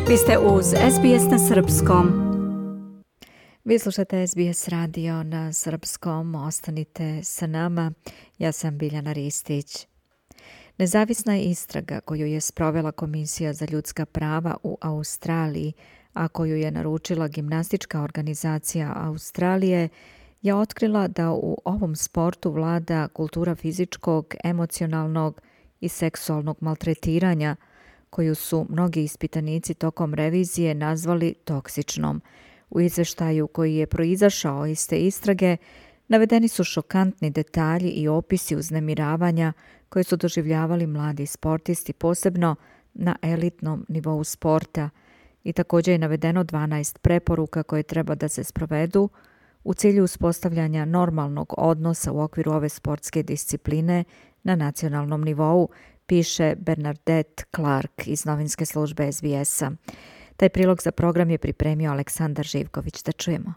Vi ste uz SBS na srpskom. Vi slušate SBS radio na srpskom, ostanite sa nama. Ja sam Biljana Ristić. Nezavisna istraga koju je sprovela Komisija za ljudska prava u Australiji, a koju je naručila gimnastička organizacija Australije, je otkrila da u ovom sportu vlada kultura fizičkog, emocionalnog i seksualnog maltretiranja, koju su mnogi ispitanici tokom revizije nazvali toksičnom. U izveštaju koji je proizašao iz te istrage navedeni su šokantni detalji i opisi uznemiravanja koje su doživljavali mladi sportisti, posebno na elitnom nivou sporta. I također je navedeno 12 preporuka koje treba da se sprovedu u cilju uspostavljanja normalnog odnosa u okviru ove sportske discipline na nacionalnom nivou, piše Bernadette Clark iz novinske službe SBS-a. Taj prilog za program je pripremio Aleksandar Živković. Da čujemo.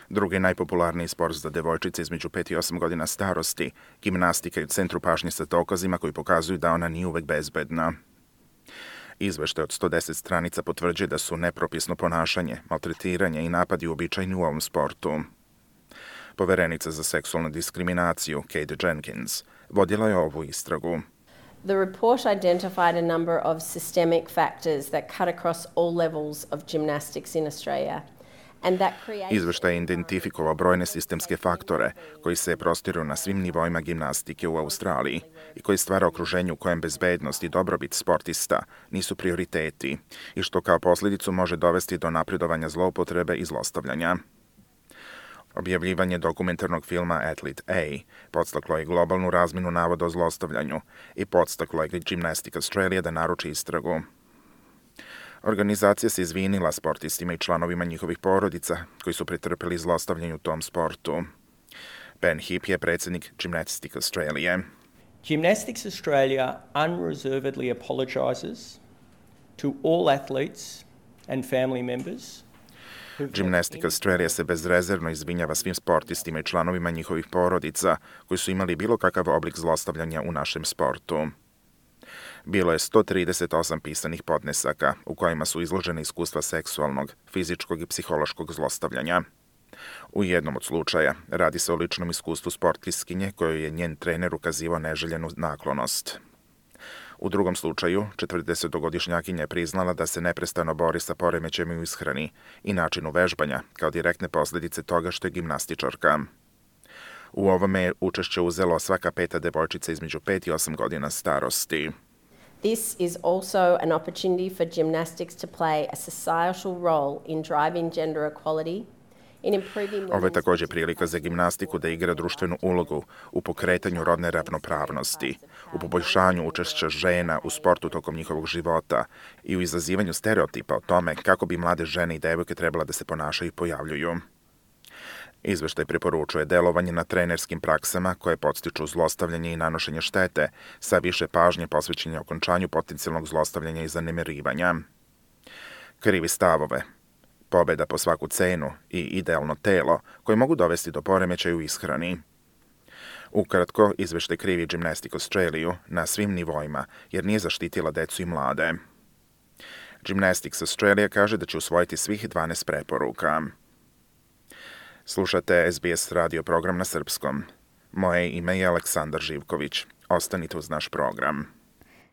Drugi najpopularniji sport za devojčice između 5 i 8 godina starosti, gimnastika je u centru pažnje sa dokazima koji pokazuju da ona nije uvek bezbedna. Izveštaj od 110 stranica potvrđuje da su nepropisno ponašanje, maltretiranje i napadi uobičajeni u ovom sportu. Poverenica za seksualnu diskriminaciju, Kate Jenkins, vodila je ovu istragu. The report identified a number of systemic factors that cut across all levels of gymnastics in Australia. Izveštaj je identifikovao brojne sistemske faktore koji se prostiru na svim nivoima gimnastike u Australiji i koji stvara okruženje u kojem bezbednost i dobrobit sportista nisu prioriteti i što kao posljedicu može dovesti do napredovanja zloupotrebe i zlostavljanja. Objavljivanje dokumentarnog filma Athlete A podstaklo je globalnu razminu navoda o zlostavljanju i podstaklo je Gymnastics Australia da naruči istragu. Organizacija se izvinila sportistima i članovima njihovih porodica koji su pretrpeli zlostavljanje u tom sportu. Ben Heap je predsjednik Gymnastics Australia. Gymnastics Australia unreservedly apologises to all athletes and family members. Gymnastics Australia se bezrezervno izvinjava svim sportistima i članovima njihovih porodica koji su imali bilo kakav oblik zlostavljanja u našem sportu. Bilo je 138 pisanih podnesaka u kojima su izložene iskustva seksualnog, fizičkog i psihološkog zlostavljanja. U jednom od slučaja radi se o ličnom iskustvu sportistkinje kojoj je njen trener ukazivao neželjenu naklonost. U drugom slučaju, 40-godišnjakinja je priznala da se neprestano bori sa poremećajem u ishrani i načinu vežbanja kao direktne posljedice toga što je gimnastičarka. U ovome je učešće uzelo svaka peta devojčica između 5 i 8 godina starosti. This is also an opportunity for gymnastics to play a societal role in driving gender equality. Ovo je također prilika za gimnastiku da igra društvenu ulogu u pokretanju rodne ravnopravnosti, u poboljšanju učešća žena u sportu tokom njihovog života i u izazivanju stereotipa o tome kako bi mlade žene i devojke trebala da se ponašaju i pojavljuju. Izveštaj preporučuje delovanje na trenerskim praksama koje podstiču zlostavljanje i nanošenje štete sa više pažnje posvećenje okončanju potencijalnog zlostavljanja i zanemarivanja. Krivi stavove, pobjeda po svaku cenu i idealno telo koje mogu dovesti do poremećaja u ishrani. Ukratko, izveštaj krivi Gymnastics Australia na svim nivoima jer nije zaštitila decu i mlade. Gymnastics Australia kaže da će usvojiti svih 12 preporuka. Slušate SBS radio program na srpskom. Moje ime je Aleksandar Živković. Ostanite uz naš program.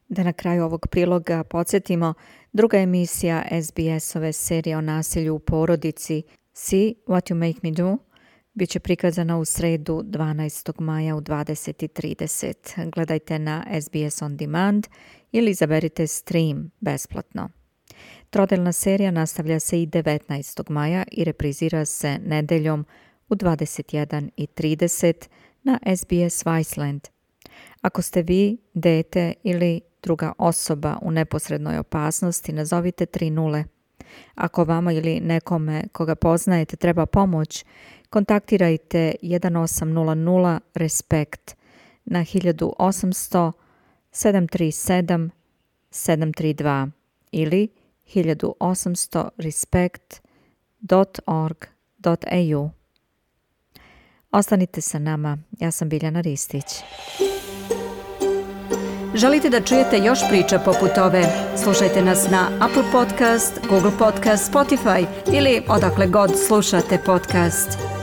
Da na kraju ovog priloga podsjetimo, druga emisija SBS-ove serije o nasilju u porodici See What You Make Me Do bit će prikazana u sredu 12. maja u 20:30. Gledajte na SBS On Demand ili izaberite stream besplatno. Trodelna serija nastavlja se i 19. maja i reprizira se nedeljom u 21:30 na SBS Viceland. Ako ste vi, dete ili druga osoba u neposrednoj opasnosti, nazovite 30. Ako vama ili nekome koga poznajete treba pomoć, kontaktirajte 1800 RESPECT na 1800 737 732 ili 1800respect.org.au. Ostanite sa nama, ja sam Biljana Ristić. Želite da čujete još priča poput ove? Slušajte nas na Apple Podcast, Google Podcast, Spotify ili odakle god slušate podcast.